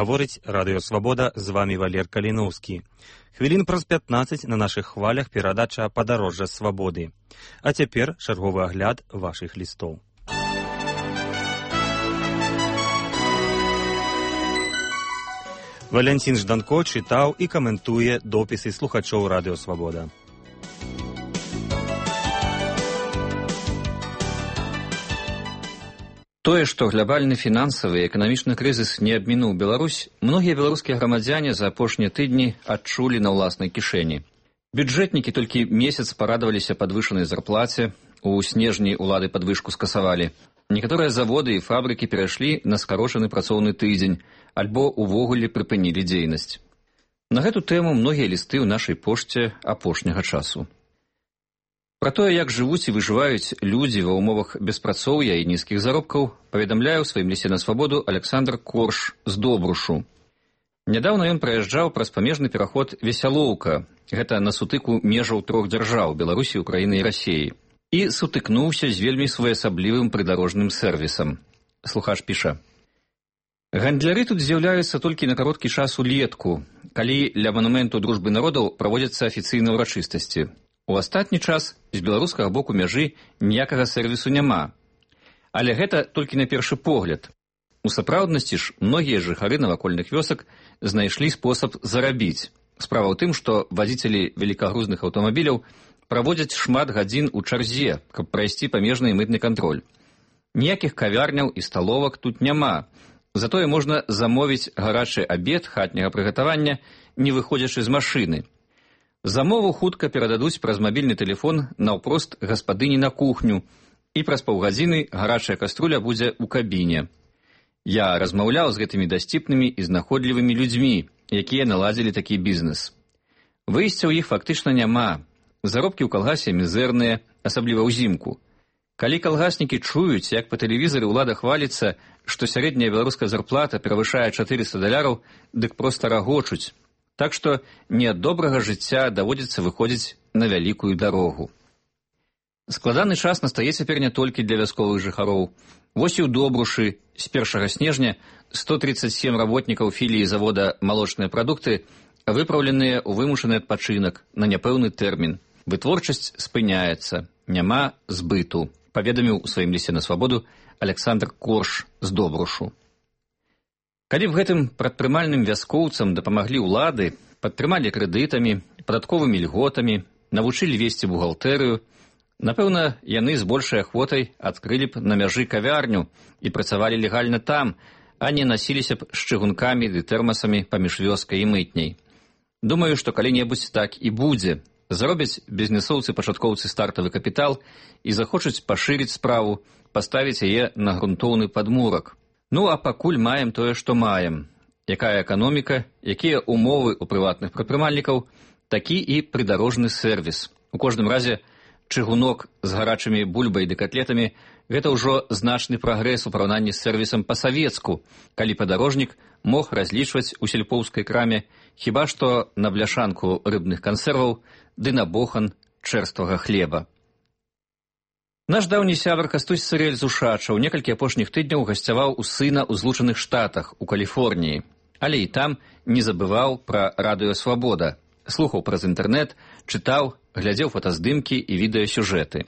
Гаворыць Радыё Свабода, з вамі Валер Каліноўскі. Хвілін праз 15 на нашых хвалях перадача «Падарожжа свабоды». А цяпер чарговы агляд вашых лістоў. Валянцін Жданко чытаў і каментуе допісы слухачоў Радыё Свабода. Тое, што глобальны фінансавы і эканамічны крызіс не абмінуў Беларусь, многія беларускія грамадзяне за апошнія тыдні адчулі на ўласнай кішэні. Бюджэтнікі толькі месяц парадаваліся падвышанай зарплаце, у снежні ўлады падвышку скасавалі. Некаторыя заводы і фабрыкі перайшлі на скарочаны працоўны тыдзень, альбо увогуле прыпынілі дзейнасць. На гэту тэму многія лісты ў нашай пошце апошняга часу. Пра тое, як жывуць і выжываюць людзі ва ўмовах беспрацоўя і нізкіх заробкаў, паведамляе ў сваім лісце на свабоду Александр Корш з Добрушу. Нядаўна ён праязджаў праз памежны пераход Весялоўка, гэта на сутыку межаў трох дзяржаў – Беларусі, Украіны і Расіі, і сутыкнуўся з вельмі своеасаблівым прыдарожным сэрвісам. Слухач піша: «Гандляры тут з'яўляюцца толькі на кароткі час улетку, калі ля манументу дружбы народаў праводзяцца афіцыйныя ўрачыстасці. У астатні час з беларускага боку мяжы ніякага сэрвісу няма. Але гэта толькі на першы погляд. У сапраўднасці ж многія жыхары навакольных вёсак знайшлі спосаб зарабіць. Справа ў тым, што вадзіцелі великагрузных аўтамабіляў праводзяць шмат гадзін у чарзе, каб прайсці памежны і мытны кантроль. Ніякіх кавярняў і сталовак тут няма. Затое можна замовіць гарачы абед хатняга прыгатавання, не выходзячы з машыны. Замову хутка перададуць праз мабільны тэлефон наўпрост гаспадыні на кухню, і праз паўгадзіны гарачая каструля будзе ў кабіне. Я размаўляў з гэтымі дасціпнымі і знаходлівымі людзьмі, якія наладзілі такі бізнес. Выйсця ў іх фактычна няма. Заробкі ў калгасе мізэрныя, асабліва ўзімку. Калі калгаснікі чуюць, як па тэлевізары ўлада хваліцца, што сярэдняя беларуская зарплата перавышае $400, дык проста рагочуць. Так што не ад добрага жыцця даводзіцца выходзіць на вялікую дарогу. Складаны час настае цяпер не толькі для вясковых жыхароў. Вось і ў Добрушы з 1 снежня 137 работнікаў філіі завода «Малочныя прадукты» выпраўленыя ў вымушаны адпачынак на няпэўны тэрмін. Вытворчасць спыняецца, няма збыту, паведаміў у сваім лісце на свабоду Александр Корш з Добрушу. Калі б гэтым прадпрымальным вяскоўцам дапамаглі ўлады, падтрымалі крэдытамі, падатковымі льготамі, навучылі весці бухгалтэрыю, напэўна, яны з большай ахвотай адкрылі б на мяжы кавярню і працавалі легальна там, а не насіліся б з чыгункамі ды тэрмасамі паміж вёскай і мытняй. Думаю, што калі-небудзь так і будзе. Заробяць бізнесоўцы-пачаткоўцы стартавы капітал і захочуць пашырыць справу, паставіць яе на грунтоўны падмурак. Ну, а пакуль маем тое, што маем. Якая эканоміка, якія умовы ў прыватных прадпрымальнікаў, такі і прыдарожны сэрвіс. У кожным разе, чыгунок з гарачымі бульбай ды катлетамі – гэта ўжо значны прагрэс у параўнанні з сэрвісам па-савецку, калі падарожнік мог разлічваць у сельпоўскай краме хіба што на бляшанку рыбных кансерваў ды на бохан чэрствага хлеба. Наш даўні сябар Кастусь Цырэль з Ушачаў некалькі апошніх тыдняў гасцяваў у сына ў Злучаных Штатах, у Каліфорніі, але і там не забываў пра Радыё Свабода, слухаў праз інтэрнэт, чытаў, глядзеў фотаздымкі і відэасюжэты.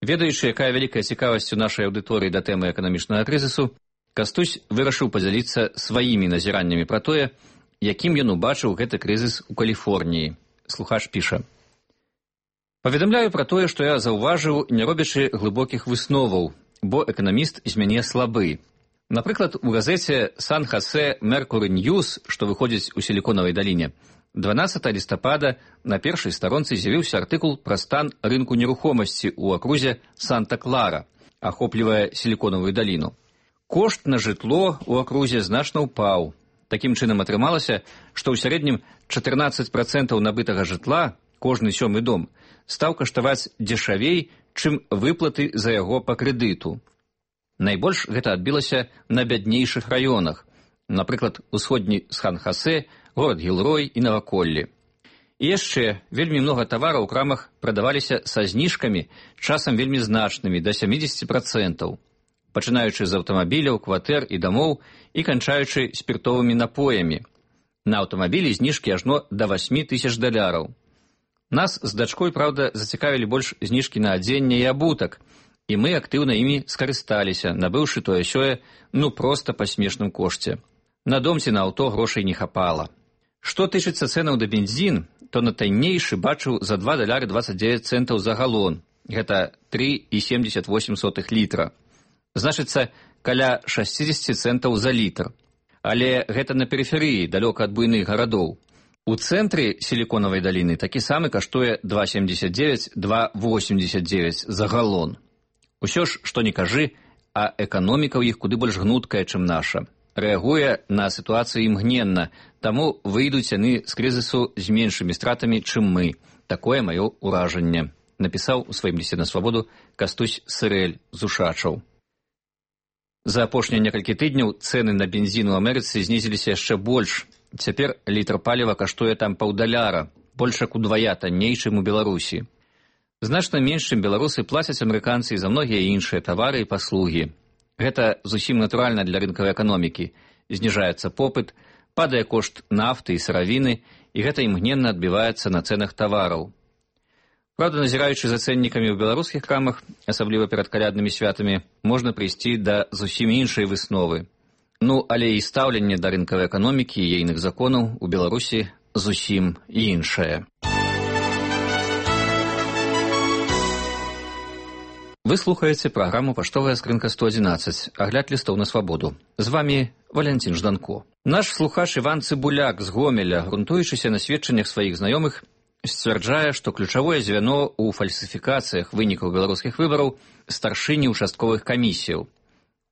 Ведаючы, якая вялікая цікавасць у нашай аўдыторыі да тэмы эканамічнага крызісу, Кастусь вырашыў падзяліцца сваімі назіраннямі пра тое, якім ён убачыў гэты крызіс у Каліфорніі. Слухач піша: «Паведамляю пра тое, што я заўважыў, не робячы глыбокіх высноваў, бо эканаміст з мяне слабы. Напрыклад, у газеце «Сан-Хасе Меркуры Ньюс», што выходзіць у Сіліконавай даліне, 12 лістапада на першай старонцы з'явіўся артыкул пра стан рынку нерухомасці ў акрузе Санта-Клара, ахоплівае Сіліконавую даліну. Кошт на жытло ў акрузе значна ўпаў. Такім чынам атрымалася, што ў сярэднім 14% набытага жытла, кожны 7-й дом, стаў каштаваць дзешавей, чым выплаты за яго па крэдыту. Найбольш гэта адбілася на бяднейшых раёнах, напрыклад, усходні Сан-Хасе, горад Гілрой і наваколлі. І яшчэ вельмі многа тавараў у крамах прадаваліся са зніжкамі, часам вельмі значнымі, да 70%. пачынаючы з аўтамабіляў, кватэр і дамоў і канчаючы спіртовымі напоямі. На аўтамабілі зніжкі ажно да $8,000. Нас з дачкой, праўда, зацікавілі больш зніжкі на адзенне і абутак, і мы актыўна імі скарысталіся, набыўшы тое-сёе, проста па смешным кошце. На дом ці на аўто грошай не хапала. Што тычыцца цэнаў да бензін, то на таннейшы бачыў за $2.29 за галон. Гэта 3,78 літра. Значыцца, каля 60 центаў за літр. Але гэта на перыферыі, далёка ад буйных гарадоў. У цэнтры сіліконавай даліны такі самы каштуе 2,79-2,89 за галон. Усё ж, што не кажы, а эканоміка ў іх куды больш гнуткая, чым наша. Рэагуе на сітуацыю імгненна, таму выйдуць яны з крызісу з меншымі стратамі, чым мы. Такое маё ўражанне, напісаў у сваім лісце на свабоду Кастусь Сырэль з Ушачаў. За апошнія некалькі тыдняў цэны на бензін у Амерыцы знізіліся яшчэ больш. Цяпер літр паліва каштуе там $1,5, больш як удвая танней, чым у Беларусі. Значна менш, чым беларусы, плацяць амерыканцы і за многія іншыя тавары і паслугі. Гэта зусім натуральна для рынкавай эканомікі. Зніжаецца попыт, падае кошт нафты і сыравіны, і гэта імгненна адбіваецца на цэнах тавараў. Правда, назіраючы за цэннікамі ў беларускіх крамах, асабліва перад каляднымі святамі, можна прыйсці да зусім іншай высновы. Але і стаўленне да рынкавай эканомікі і ейных законаў у Беларусі зусім іншае. Вы слухаеце праграму «Паштовая скрынка 111», агляд лістоў на свабоду. З вамі Валянцін Жданко. Наш слухач Іван Цыбуляк з Гомеля, грунтуючыся на сведчаннях сваіх знаёмых, сцвярджае, што ключавое звяно ў фальсіфікацыях вынікаў беларускіх выбараў старшыні участковых камісіяў.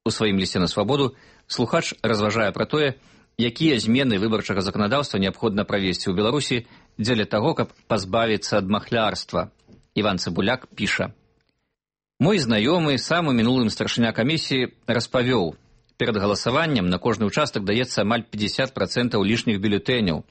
У сваім лісце на свабоду слухач разважае пра тое, якія змены выбарчага заканадаўства неабходна правесці ў Беларусі дзеля таго, каб пазбавіцца ад махлярства. Іван Цыбуляк піша: «Мой знаёмы, сам у мінулым старшыня камісіі, распавёў, перад галасаваннем на кожны ўчастак даецца амаль 50% лішніх бюлетэняў.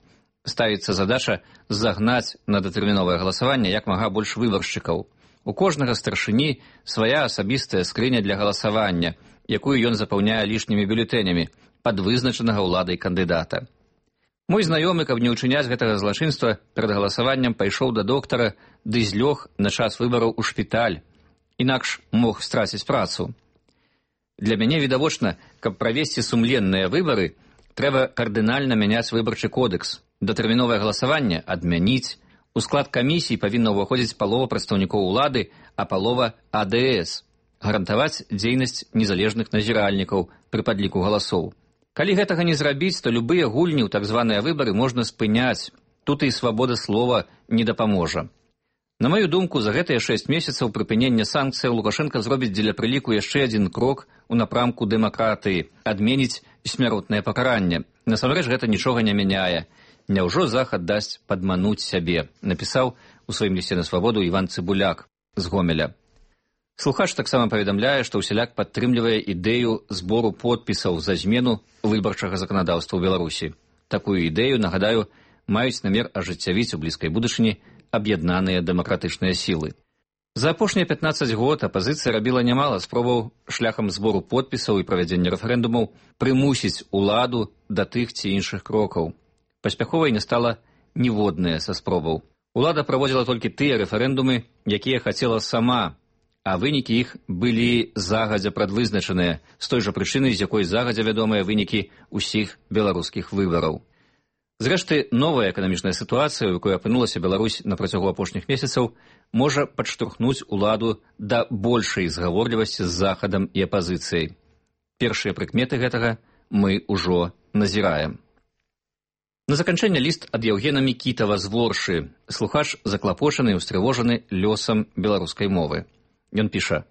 Ставіцца задача загнаць на датэрміновае галасаванне як мага больш выбаршчыкаў. У кожнага старшыні свая асабістая скрыня для галасавання, якую ён запаўняе лішнімі бюлетэнямі пад вызначанага ўладай кандыдата. Мой знаёмы, каб не ўчыняць гэтага злачынства, перад галасаваннем пайшоў да доктара ды злёг на час выбараў у шпіталь, інакш мог страціць працу. Для мяне відавочна, каб правесці сумленныя выбары, трэба кардынальна мяняць выбарчы кодекс, датэрміновае галасаванне адмяніць, у склад камісій павінна ўваходзіць палова прадстаўнікоў улады, а палова АДС, гарантаваць дзейнасць незалежных назіральнікаў пры падліку галасоў. Калі гэтага не зрабіць, то любыя гульні ў так званыя выбары можна спыняць, тут і свабода слова не дапаможа. На маю думку, за гэтыя 6 месяцаў прыпынення санкцыяў Лукашенка зробіць дзеля прыліку яшчэ адзін крок у напрамку дэмакратыі, адменіць смяротнае пакаранне. Насамрэч гэта нічога не мяняе. Няўжо Захад дасць падмануць сябе, напісаў у сваім лісце на свабоду Іван Цыбуляк з Гомеля. Слухач таксама паведамляе, што ўсяляк падтрымлівае ідэю збору подпісаў за змену выбарчага заканадаўства ў Беларусі. Такую ідэю, нагадаю, маюць намер ажыццявіць у блізкай будучыні аб'яднаныя дэмакратычныя сілы. За апошнія 15 год апазіцыя рабіла нямала спробаў шляхам збору подпісаў і правядзення рэферэндумаў прымусіць уладу да тых ці іншых крокаў. Паспяховай не стала ніводная са спробаў. Улада праводзіла толькі тыя рэферэндумы, якія хацела сама, а вынікі іх былі загадзя прадвызначаныя, з той жа прычыны, з якой загадзя вядомыя вынікі ўсіх беларускіх выбараў. Зрэшты, новая эканамічная сітуацыя, у якой апынулася Беларусь на працягу апошніх месяцаў, можа падштурхнуць уладу да большай згаворлівасці з Захадам і апазіцыяй. Першыя прыкметы гэтага мы ўжо назіраем. На заканчэнне ліст ад Яўгена Мікітава з Воршы. Слухач заклапочаны і ўстрывожаны лёсам беларускай мовы. Ён піша: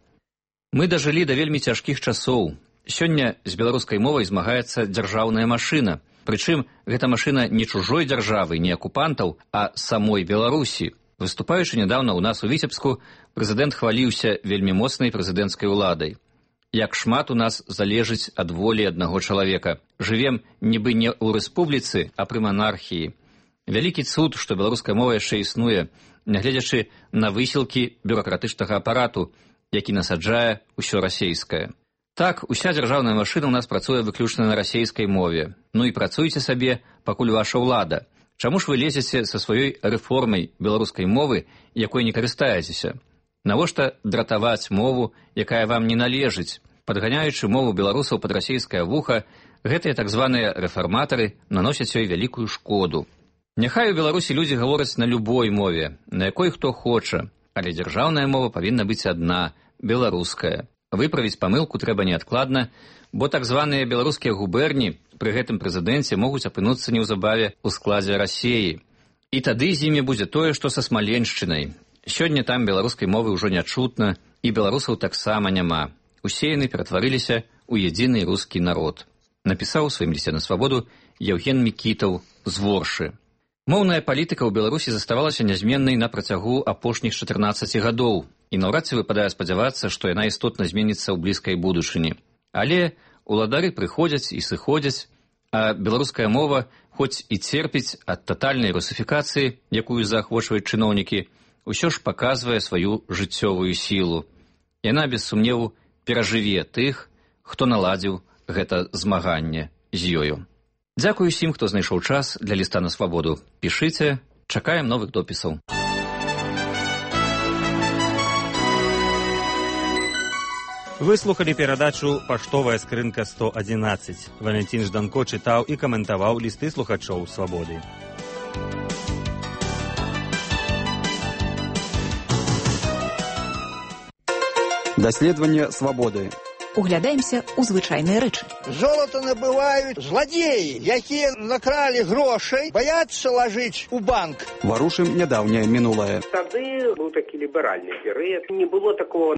«Мы дажылі да вельмі цяжкіх часоў. Сёння з беларускай мовай змагаецца дзяржаўная машына. Прычым, гэта машына не чужой дзяржавы, не акупантаў, а самой Беларусі. Выступаючы нядаўна ў нас у Віцебску, прэзідэнт хваліўся вельмі моцнай прэзідэнцкай уладай. Як шмат у нас залежыць ад волі аднаго чалавека. Жывем нібы не ў рэспубліцы, а пры манархіі. Вялікі цуд, што беларуская мова яшчэ існуе, нягледзячы на высілкі бюракратычнага апарату, які насаджае ўсё расейскае. Так, уся дзяржаўная машына ў нас працуе выключна на расейскай мове. Ну і працуйце сабе, пакуль ваша ўлада. Чаму ж вы лезеце са сваёй рэформай беларускай мовы, якой не карыстаецеся? Навошта дратаваць мову, якая вам не належыць? Падганяючы мову беларусаў пад расейскае вуха, гэтыя так званыя рэфарматары наносяць ёй вялікую шкоду. Няхай у Беларусі людзі гавораць на любой мове, на якой хто хоча, але дзяржаўная мова павінна быць адна, беларуская. Выправіць памылку трэба неадкладна, бо так званыя беларускія губерні пры гэтым прэзідэнце могуць апынуцца неўзабаве ў складзе Расеі. І тады з імі будзе тое, што са Смаленшчынай. Сёння там беларускай мовы ўжо не чутна, і беларусаў таксама няма. Усе яны ператварыліся ў едзіны рускі народ. Напісаў у сваім лісце на свабоду Яўген Мікітаў з Воршы. Моўная палітыка ў Беларусі заставалася нязменнай на працягу апошніх 14 гадоў, і наўрад ці выпадае спадзявацца, што яна істотна зменіцца ў блізкай будучыні. Але уладары прыходзяць і сыходзяць, а беларуская мова, хоць і церпіць ад татальнай русифікацыі, якую заахвочваюць чыноўнікі, усё ж паказвае сваю жыццёвую сілу. Яна, без сумневу, перажыве тых, хто наладзіў гэта змаганне з ёю. Дзякую усім, хто знайшоў час для ліста на свабоду. Пішыце, чакаем новых допісаў. Вы слухали перадачу «Паштовая скрынка 111». Валентин Жданко чытаў і каментаваў лісты слухачоў «Свабоды». Даследаванне свабоды. Углядаемся ў звычайныя рэчы. Золото набываюць зладзеі, якія накралі грошай, баяцца лажыць у банк. Варушым нядаўняе мінулае. Тады быў такі ліберальны перыяд. Не было такого